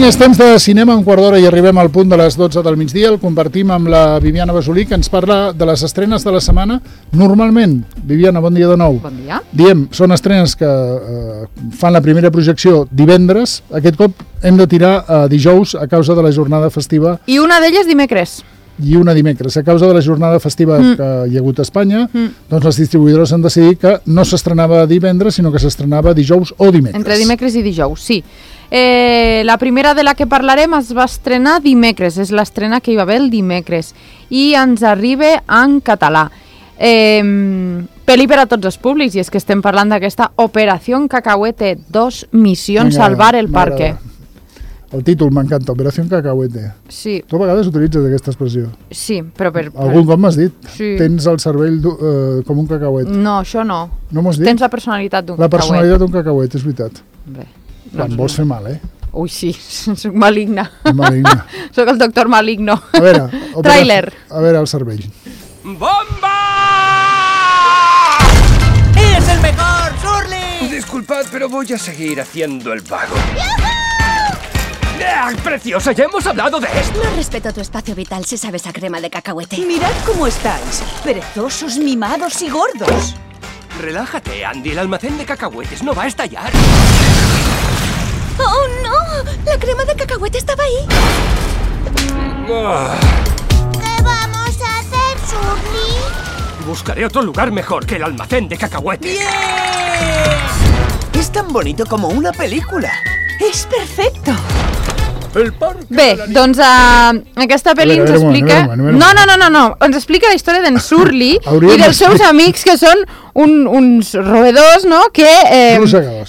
és temps de cinema, un quart d'hora i arribem al punt de les 12 del migdia. El compartim amb la Viviana Basolí, que ens parla de les estrenes de la setmana. Normalment, Viviana, bon dia de nou. Bon dia. Diem, són estrenes que fan la primera projecció divendres. Aquest cop hem de tirar a dijous a causa de la jornada festiva. I una d'elles dimecres. I una dimecres. A causa de la jornada festiva que hi ha hagut a Espanya, doncs les distribuïdores han decidit que no s'estrenava divendres, sinó que s'estrenava dijous o dimecres. Entre dimecres i dijous, sí. La primera de la que parlarem es va estrenar dimecres, és l'estrena que hi va haver el dimecres, i ens arriba en català. Pel·li per a tots els públics, i és que estem parlant d'aquesta Operació Cacahuete 2, Missió Salvar el Parque. El títol m'encanta, Operació Cacahuete. Sí. Tu a vegades utilitzes aquesta expressió. Sí, però Algun cop m'has dit, sí. Tens el cervell com un cacauet. No, això no. No m'ho has dit? Tens la personalitat d'un cacauet. La personalitat d'un cacauet, és veritat. Bé. Quan vols fer mal, Ui, sí, soc maligna. Maligna. Soc el doctor Maligno. A veure, Tràiler. A veure el cervell. ¡Bomba! ¡Eres el mejor, Surly! Disculpad, pero voy a seguir haciendo el vago. ¡Ah, preciosa! ¡Ya hemos hablado de esto! No respeto tu espacio vital si sabes a crema de cacahuete. Mirad cómo estáis, perezosos, mimados y gordos. Relájate, Andy. El almacén de cacahuetes no va a estallar. ¡Oh, no! La crema de cacahuete estaba ahí. ¿Qué vamos a hacer, Surly? Buscaré otro lugar mejor que el almacén de cacahuetes. ¡Bien! Es tan bonito como una película. ¡Es perfecto! Bé, doncs aquesta pel·li ens explica... No, ens explica la història d'en Surly i dels seus amics, que són uns roedors, no?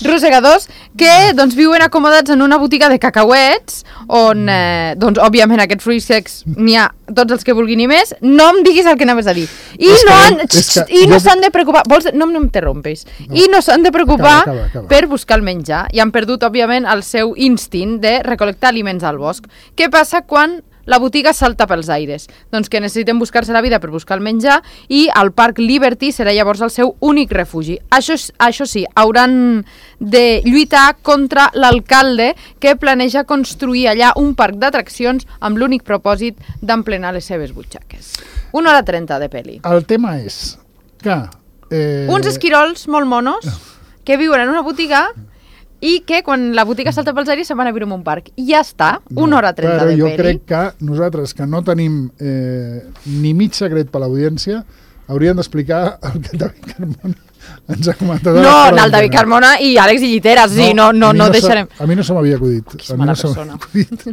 Rosegadors, que doncs viuen acomodats en una botiga de cacauets, on, doncs, òbviament, aquests fruits secs n'hi ha tots els que vulguin i més. No em diguis el que anaves a dir. I no s'han de preocupar... No m'interrompis. I no s'han de preocupar per buscar el menjar. I han perdut, òbviament, el seu instint de recol·lectar aliments al bosc. Què passa quan la botiga salta pels aires? Doncs que necessiten buscar-se la vida per buscar el menjar, i el Parc Liberty serà llavors el seu únic refugi. Això sí, hauran de lluitar contra l'alcalde, que planeja construir allà un parc d'atraccions amb l'únic propòsit d'emplenar les seves butxaques. 1 hora 30 de pel·li. El tema és que... Uns esquirols molt monos que viuen en una botiga i que quan la botiga salta pels aires se'n van a viure en un parc. I ja està, 1 hora 30 de pel·li. Però jo crec que nosaltres, que no tenim ni mig secret per l'audiència, hauríem d'explicar el que David Carmona ens ha comentat. No, el David Carmona i Àlex i Lliteres, sí, no deixarem. A mi no se m'havia acudit. Que mala persona.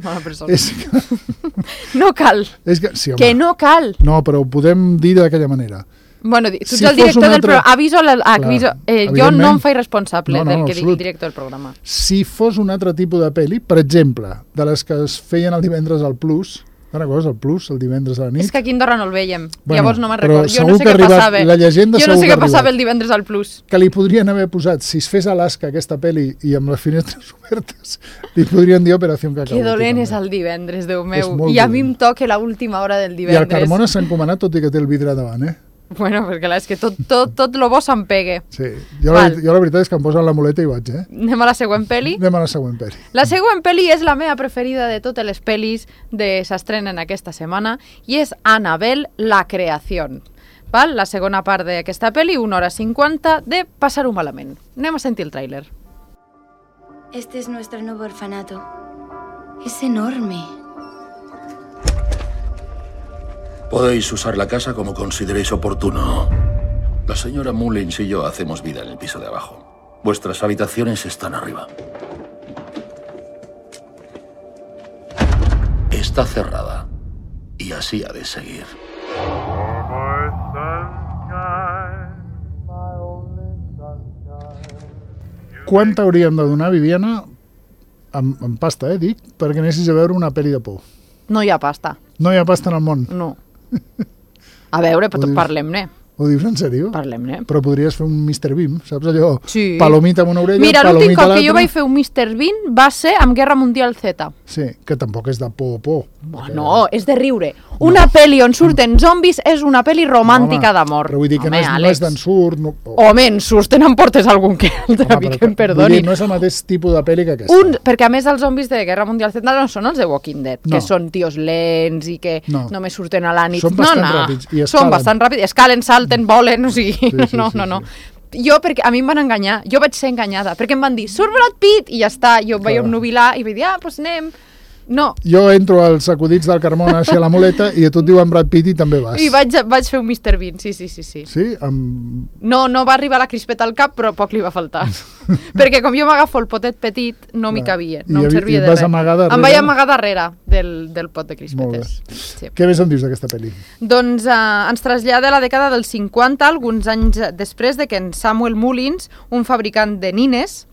Mala persona. És que... No cal. Sí, que no cal. No, però ho podem dir d'aquella manera. Bueno, tu ets el director del programa. Jo no em faig responsable del que digui el director del programa. Si fos un altre tipus de pel·li, per exemple, de les que es feien el divendres al Plus, el Plus, el divendres a la nit... És que aquí a Andorra no el veiem, llavors no me'n recordo. Jo no sé què passava. Jo no sé què passava el divendres al Plus. Que li podrien haver posat, si es fes a Alaska aquesta pel·li i amb les finestres obertes, li podrien dir Operació Cacahuete. Que dolent és el divendres, Déu meu. I a mi em toca l'última hora del divendres. I el Carmona s'ha encomanat, tot i que té el vidre davant, Bueno, perquè és que tot lo bo se'n pegue. Sí, jo la veritat és que em posen la muleta i vaig, Anem a la següent pel·li? Anem a la següent pel·li. La següent pel·li és la meva preferida de totes les pel·lis que s'estrenen aquesta setmana, i és Annabelle, la creación. La segona part d'aquesta pel·li, 1 hora 50, de passar-ho malament. Anem a sentir el tràiler. Este es nuestro nuevo orfanato. Es enorme. Podéis usar la casa como consideréis oportuno. La señora Mullins y yo hacemos vida en el piso de abajo. Vuestras habitaciones están arriba. Está cerrada. Y así ha de seguir. Quant t'hauríem de donar, Viviana, en pasta, dic, perquè anessis a veure una pel·li de por? No hi ha pasta. No hi ha pasta en el món? No. A veure, parlem-ne. Ho dius en sèrio? Parlem-ne. Però podries fer un Mr. Bean, saps allò? Sí. Palomita amb una orella, mira, palomita a l'altra. Mira, l'últim cop que jo vaig fer un Mr. Bean va ser amb Guerra Mundial Z. Sí, que tampoc és de por. No, és de riure. Una pel·li on surten zombis és una pel·li romàntica d'amor. Però vull dir que no és d'ensurt... Home, en surten em portes algun que altre, que em perdoni. No és el mateix tipus de pel·li que aquesta. Perquè a més els zombis de Guerra Mundial Z no són els de Walking Dead, que són tios lents i que només surten a la nit. Són bastant ràpids i escalen. Són bastant ràpids, escalen, salten, volen, o sigui... No. Jo, perquè a mi em van enganyar, jo vaig ser enganyada, perquè em van dir, surt Brad Pitt, i ja està, jo em vaig obnubilar i vaig dir, doncs anem... No. Jo entro als acudits del Carmona així a la muleta i a tu et diuen Brad Pitt i també vas. I vaig fer un Mr. Bean, sí. Sí? No va arribar la crispeta al cap, però poc li va faltar. Perquè com jo m'agafo el potet petit, no m'hi cabia, no em servia de res. Em vaig amagar darrere del pot de crispetes. Sí. Què més em dius d'aquesta pel·li? Doncs ens trasllada a la dècada dels 50, alguns anys després de que en Samuel Mullins, un fabricant de nines,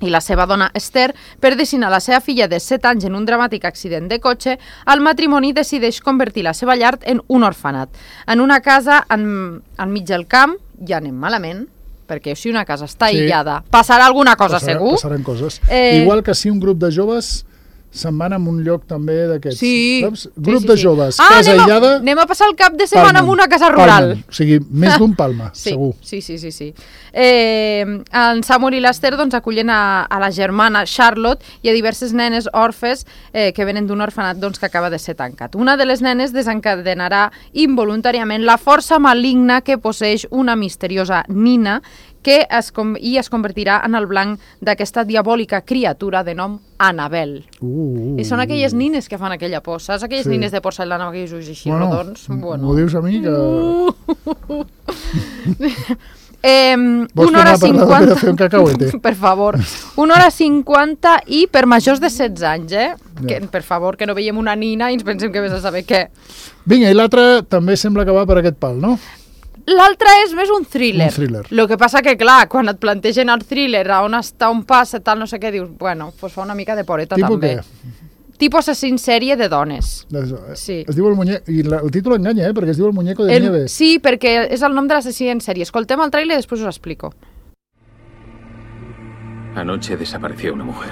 i la seva dona Esther, per destinar la seva filla de 7 anys en un dramàtic accident de cotxe, el matrimoni decideix convertir la seva llar en un orfenat. En una casa enmig del camp, ja anem malament, perquè si una casa està aïllada, passarà alguna cosa segur. Passaran coses. Igual que si un grup de joves se'n van a un lloc també d'aquests. Sí. Grup de joves, casa aïllada... Anem a passar el cap de setmana en una casa rural. O sigui, més d'un Palma, segur. Sí. En Samuel i l'Esther acullen a la germana Charlotte i a diverses nenes orfes que venen d'un orfenat que acaba de ser tancat. Una de les nenes desencadenarà involuntàriament la força maligna que posseix una misteriosa nina que es convertirà en el blanc d'aquesta diabòlica criatura de nom Annabel. I són aquelles nines que fan aquella por, saps? Aquelles nines de porcellana amb aquells ulls així rodons. M'ho dius a mi que... Vols tornar a parlar d'Operació Cacahuete? Per favor. 1 hora 50 i per majors de 16 anys, per favor, que no veiem una nina i ens pensem que vés a saber què. Vinga, i l'altre també sembla que va per aquest pal, no? L'altre és més un thriller. El que passa que, clar, quan et plantegen el thriller, a on està, on passa, tal, no sé què, dius, bueno, doncs fa una mica de poreta també. Tipo assassín sèrie de dones. Sí. Es diu el muñeco, i el títol enganya, perquè es diu el muñeco de nieve. Sí, perquè és el nom de l'assassí en sèrie. Escoltem el trailer i després us explico. Anoche desapareció una mujer.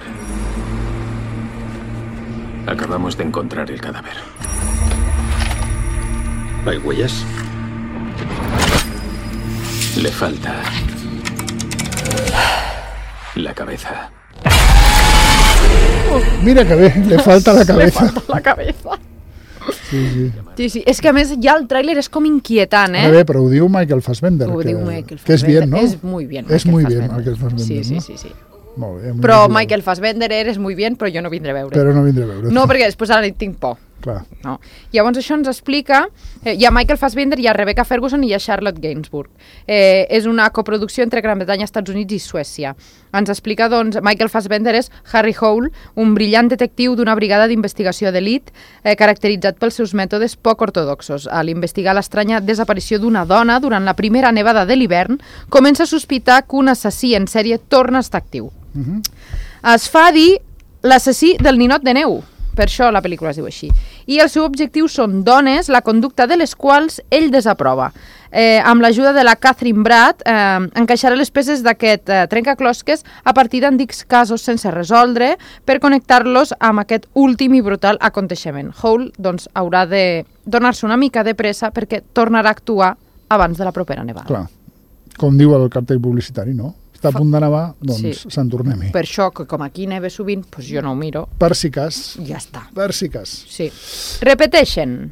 Acabamos de encontrar el cadáver. ¿Hay huellas? Le falta la cabeza. Mira que bé, le falta la cabeza. Le falta la cabeza. Sí. És que a més ja el tràiler és com inquietant, Bé, però ho diu Michael Fassbender. Ho diu Michael Fassbender. Que és bien, no? És muy bien. És muy bien Michael Fassbender, sí. Sí. Molt bé. Però Michael Fassbender eres muy bien, però jo no vindré a veure. Però no vindré a veure. No, perquè després ara tinc por. Clar. No. Llavors això ens explica, hi ha Michael Fassbender, hi ha Rebecca Ferguson i hi ha Charlotte Gainsbourg. És una coproducció entre Gran Bretanya, Estats Units i Suècia. Ens explica, doncs, Michael Fassbender és Harry Hole, un brillant detectiu d'una brigada d'investigació d'elit caracteritzat pels seus mètodes poc ortodoxos. A l'investigar l'estranya desaparició d'una dona durant la primera nevada de l'hivern, comença a sospitar que un assassí en sèrie torna a estar actiu. Es fa dir l'assassí del ninot de neu. Per això la pel·lícula es diu així. I el seu objectiu són dones, la conducta de les quals ell desaprova. Amb l'ajuda de la Catherine Bratt, encaixarà les peces d'aquest trencaclosques a partir d'antics casos sense resoldre per connectar-los amb aquest últim i brutal aconteixement. Hole, doncs, haurà de donar-se una mica de pressa perquè tornarà a actuar abans de la propera nevada. Clar, com diu el cartell publicitari, no? Està a punt de nevar, doncs se'n tornem-hi. Per això, que com aquí neve sovint, doncs jo no ho miro. Per si cas. Ja està. Per si cas. Sí. Repeteixen.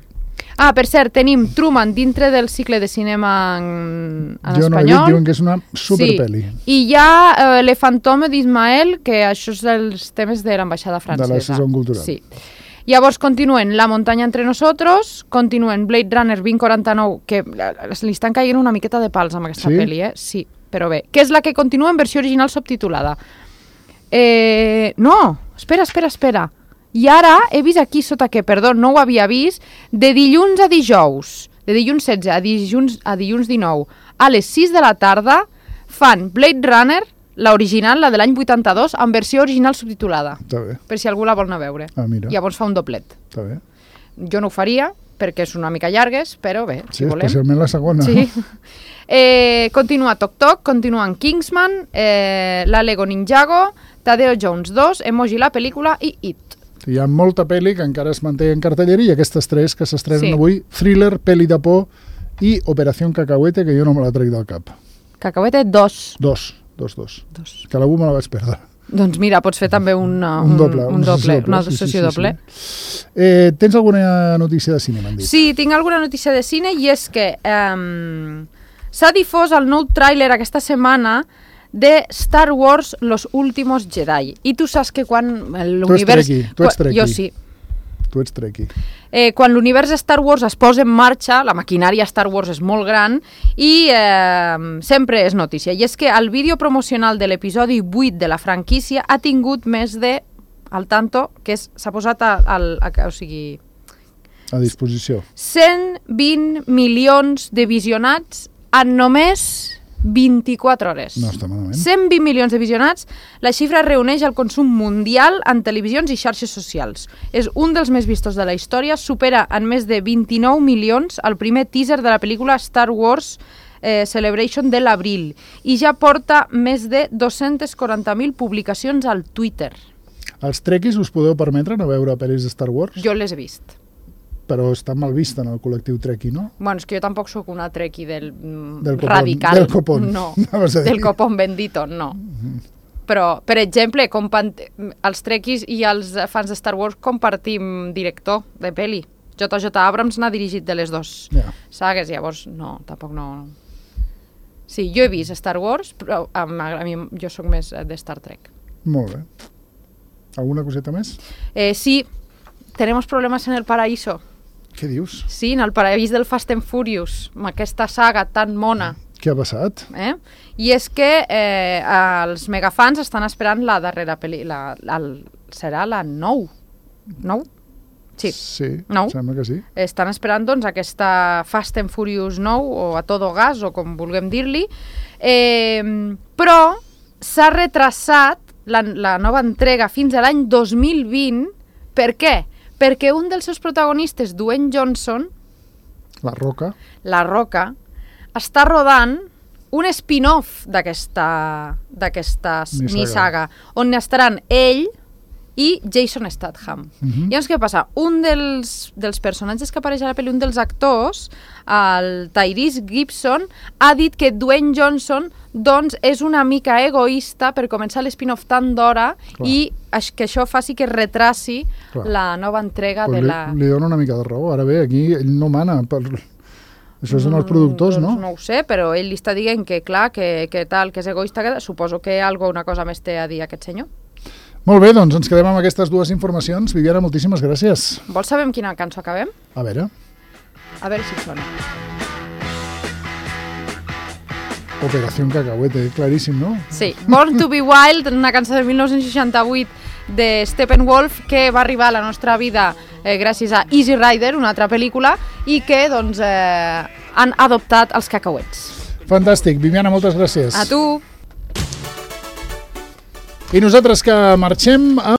Per cert, tenim Truman dintre del cicle de cinema en espanyol. Jo no he dit, diuen que és una superpeli. I hi ha Le Fantôme d'Ismael, que això és dels temes de l'ambaixada francesa. De la saison cultural. Sí. Llavors continuen La muntanya entre nosotros, continuen Blade Runner 2049, que li estan caient una miqueta de pals amb aquesta pel·li, Sí, però bé. Que és la que continua en versió original subtitulada. No, espera. I ara he vist aquí sota que, perdó, no ho havia vist, de dilluns a dijous, de dilluns 16 a dilluns 19, a les 6 de la tarda, fan Blade Runner, l'original, la de l'any 82, en versió original subtitulada. Està bé. Per si algú la vol anar a veure. Mira. Llavors fa un doblet. Està bé. Jo no ho faria, perquè és una mica llargues, però bé, si volem. Sí, especialment la segona. Sí. Continua Toc Toc, continuen Kingsman, la Lego Ninjago, Tadeo Jones 2, Emoji la pel·lícula i It. Hi ha molta pel·li que encara es manté en cartellera i aquestes 3 que s'estrenen avui, Thriller, Pel·li de por i Operación Cacahuete, que jo no me la trec del cap. Cacahuete 2. 2. Que a la 1 me la vaig perdre. Doncs mira, pots fer també una sessió doble. Tens alguna notícia de cine, m'han dit? Sí, tinc alguna notícia de cine i és que s'ha difós el nou tràiler aquesta setmana de Star Wars Los Últimos Jedi. I tu saps que quan l'univers... Tu ets Trekkie. Jo sí. Tu ets Trekkie. Quan l'univers Star Wars es posa en marxa, la maquinària Star Wars és molt gran i sempre és notícia. I és que el vídeo promocional de l'episodi 8 de la franquícia ha tingut més de, al tanto, que s'ha posat o sigui... A disposició. 120 milions de visionats en només 24 hores. No està malament. 120 milions de visionats. La xifra reuneix el consum mundial en televisions i xarxes socials. És un dels més vistos de la història. Supera en més de 29 milions el primer teaser de la pel·lícula Star Wars Celebration de l'abril. I ja porta més de 240.000 publicacions al Twitter. Els trekkies us podeu permetre no veure pel·lis de Star Wars? Jo les he vist. Però està mal vista en el col·lectiu trekkie, no? Bueno, és que jo tampoc sóc una trekkie del copón, radical. Del copón. No, del copón bendito, no. Però, per exemple, els trekkies i els fans de Star Wars compartim director de pel·li. J.J. Abrams n'ha dirigit de les dues sagues, llavors no, tampoc no. Sí, jo he vist Star Wars, però a mi jo sóc més de Star Trek. Molt bé. Alguna coseta més? Sí, tenemos problemas en el paraíso. Què dius? Sí, en el paradís del Fast and Furious, amb aquesta saga tan mona. Què ha passat? I és que els megafans estan esperant la darrera pel·li. Serà la 9? 9? Sí, 9. Sembla que sí. Estan esperant doncs aquesta Fast and Furious 9 o a todo gas o com vulguem dir-li. Però s'ha retrasat la nova entrega fins a l'any 2020. Per què? Perquè un dels seus protagonistes, Dwayne Johnson, La Roca, està rodant un spin-off d'aquesta saga, on estaran ell i Jason Statham. Llavors, què passa? Un dels personatges que apareix a la pel·li, un dels actors, el Tyrese Gibson, ha dit que Dwayne Johnson doncs, és una mica egoista per començar l'spin-off tan d'hora i que això faci que retraci la nova entrega de la... Li dona una mica de raó. Ara bé, aquí ell no mana per... Això són els productors, no? No ho sé, però ell li està dient que, clar, que tal, que és egoista, suposo que una cosa més té a dir aquest senyor. Molt bé, doncs ens quedem amb aquestes dues informacions. Viviana, moltíssimes gràcies. Vols saber amb quina cançó acabem? A veure si sona. Operación Cacahuete, claríssim, no? Sí, Born to be Wild, una cançó de 1968 de Steppenwolf que va arribar a la nostra vida gràcies a Easy Rider, una altra pel·lícula, i que doncs, han adoptat els cacauets. Fantàstic. Viviana, moltes gràcies. A tu. I nosaltres que marxem